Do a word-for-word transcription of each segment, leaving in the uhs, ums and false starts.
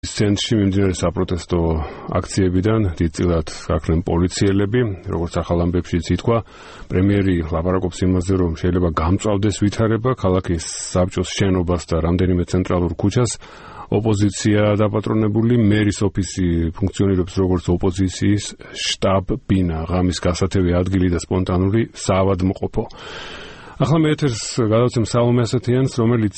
ცენტრში მიმდინარე საპროტესტო აქციებიდან დიდწილად გაქრნენ პოლიციელები, როგორც ახალ ამბებშიც ითქვა, პრემიერი ლაპარაკობს იმაზე, რომ შეიძლება გამწვავდეს ვითარება ქალაქის საბჭოს შენობას და რამდენიმე ცენტრალურ ქუჩას. ოპოზიცია დაპატრონებული, მერის ოფისი ფუნქციონირებს როგორც ოპოზიციის შტაბ-ბინა, ღამის გასათევი ადგილი და სპონტანური საავადმყოფო. ახლა მე ეთერს გადავცემ სალომე ასათიანს, რომელიც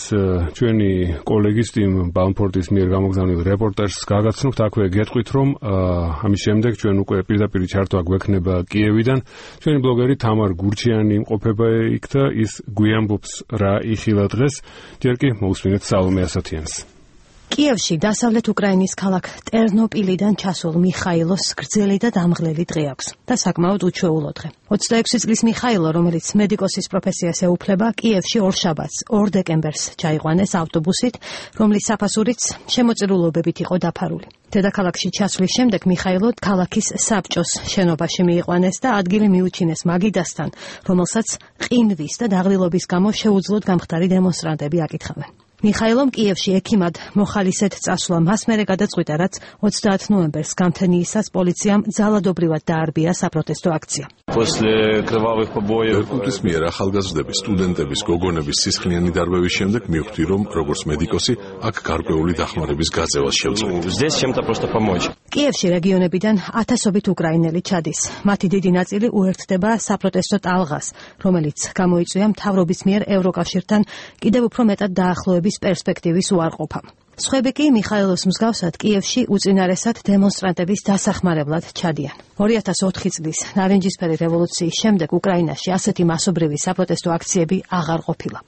ჩვენი კოლეგის ტიმ ბალმფორდის მიერ გამოგზავნილ რეპორტაჟს გაგაცნობთ. აქვე გეტყვით, რომ ამის შემდეგ ჩვენ უკვე პირდაპირ ჩართვა გვექნება კიევიდან. ჩვენი ბლოგერი თამარ გურჩიანი იმყოფება იქ და ის გვიამბობს რა იხილა დღეს. ჯერ კი მოусმინეთ სალომე ასათიანს. კიევში დასავლეთ უკრაინის ქალაქ ტერნოპილიდან ჩასულ მიხაილოს გრძელი და დამღლელი დღე აქვს და საკმაოდ უჩვეულო დღე. ოცდაექვსი წლის მიხაილო, რომელიც მედიკოსის პროფესიას ეუფლება, კიევში ორ შაბათს, ორ დეკემბერს ჩაიყვანეს ავტობუსით, რომლის საფასურიც შემოწირულობებით იყო დაფარული. დედაქალაქში ჩასვლის შემდეგ მიხაილო ქალაქის საბჭოს შენობაში მიიყვანეს და ადგილი მიუჩინეს მაგიდასთან, რომელსაც ყინვის და დაღლილობის გამო შეუძლოდ გამხდარი დემონსტრანტები აკითხავენ. მიხაილომ კიევში ექიმად მოხალისედ წასვლა მას მერე გადაწყვიტა, რაც ოცდაათ ნოემბერს გამთენიისას პოლიციამ ძალადობრივად დაარბია საპროტესტო აქცია. ერკუტის მიერ ახალგაზრდების, სტუდენტების, გოგონების სისხლიანი დარბევის შემდეგ მივხვდი, რომ როგორც მედიკოსი აქ გარკვეული დახმარების გაწევას შევწყვეტ. კიევში რეგიონებიდან ათასობით უკრაინელი ჩადის. მათი დიდი ნაწილი უერთდება საპროტესტო ტალღას, რომელიც გამოიწვია მთავრობის მიერ ევროკავშირთან კიდევ უფრო მეტად დაახლოების პერსპექტივის უარყოფამ. სხვები კი მიხაილოს მსგავსად კიევში უწინარესად დემონსტრანტების დასახმარებლად ჩადიან. ორი ათას ოთხი წლის ნარინჯისფერი რევოლუციის შემდეგ უკრაინაში ასეთი მასობრივი საპროტესტო აქციები აღარ ყოფილა.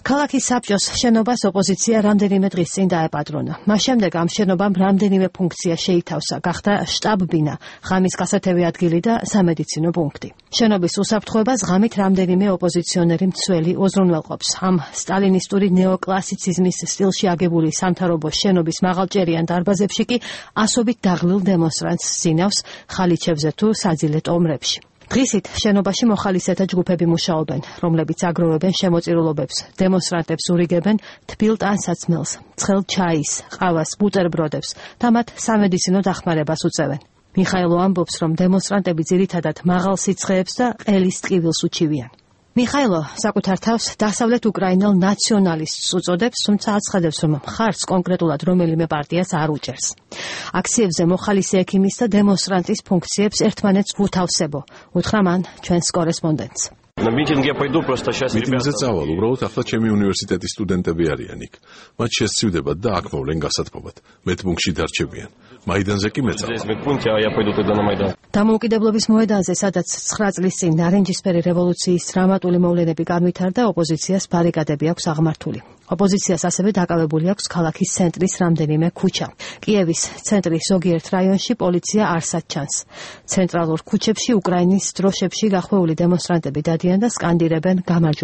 ქალაქის საბჭოს შენობას ოპოზიცია რამდენიმე დღის წინ დაეპატრონა. მას შემდეგ ამ შენობამ რამდენიმე ფუნქცია შეითავსა, გახდა შტაბ-ბინა, ღამის გასათევი ადგილი და სამედიცინო პუნქტი. შენობის უსაფრთხოებას ღამით რამდენიმე ოპოზიციონერი მცველი უზრუნველყოფს. ამ სტალინისტური ნეოკლასიციზმის სტილში აგებული სამთავრობო შენობის მაღალჭერიან დარბაზებში კი ასობით დაღლილ დემონსტრანტს ზინავს ხალიჩებზე თუ საძილე ტომრებში. დღისით შენობაში მოხალისეთა ჯგუფები მუშაობენ, რომლებიც აგროვებენ შემოწირულობებს, დემონსტრანტებს ურიგებენ თბილ ტანსაცმელს, ცხელ ჩაის, ყავას, ბუტერბროდებს და მათ სამედიცინო დახმარებას უწევენ. მიხაილო ამბობს, რომ დემონსტრანტები ძირითადად მაღალ სიცხეებს და ყელის ტკივილს უჩივიან. მიხაილო საკუთარ თავს დასავლეთ უკრაინელ ნაციონალისტს უწოდებს, თუმცა აცხადებს, რომ მხარს კონკრეტულად რომელიმე პარტიას არ უჭერს. აქციებზე მოხალისე ექიმის და დემონსტრანტის ფუნქციებს ერთმანეთს გვუთავსებო, უთხრა მან ჩვენს კორესპონდენტს. მიტინგზე წავალ, უბრალოდ ახლა ჩემი უნივერსიტეტის სტუდენტები არიან იქ. მათ შესცივდებათ და აქ მოვლენ გასათბობად. მედპუნქტში დარჩებიან. მაიდანზე კი მეწავალ. დამოუკიდებლობის მოედანზე, სადაც ცხრა წლის წინ ნარინჯისფერი რევოლუციის დრამატული მოვლენები განვითარდა, ოპოზიციას ბარიკადები აქვს აღმართული. ოპოზიციას ასევე დაკავებული აქვს ქალაქის ცენტრის რამდენიმე ქუჩა. კიევის ცენტრის ზოგიერთ რაიონში პოლიცია არსად ჩანს. ცენტრალურ ქუჩებში უკრაინის დროშებში გახვეული დემონსტრანტები დადიან და სკანდირებენ გამარჯვება.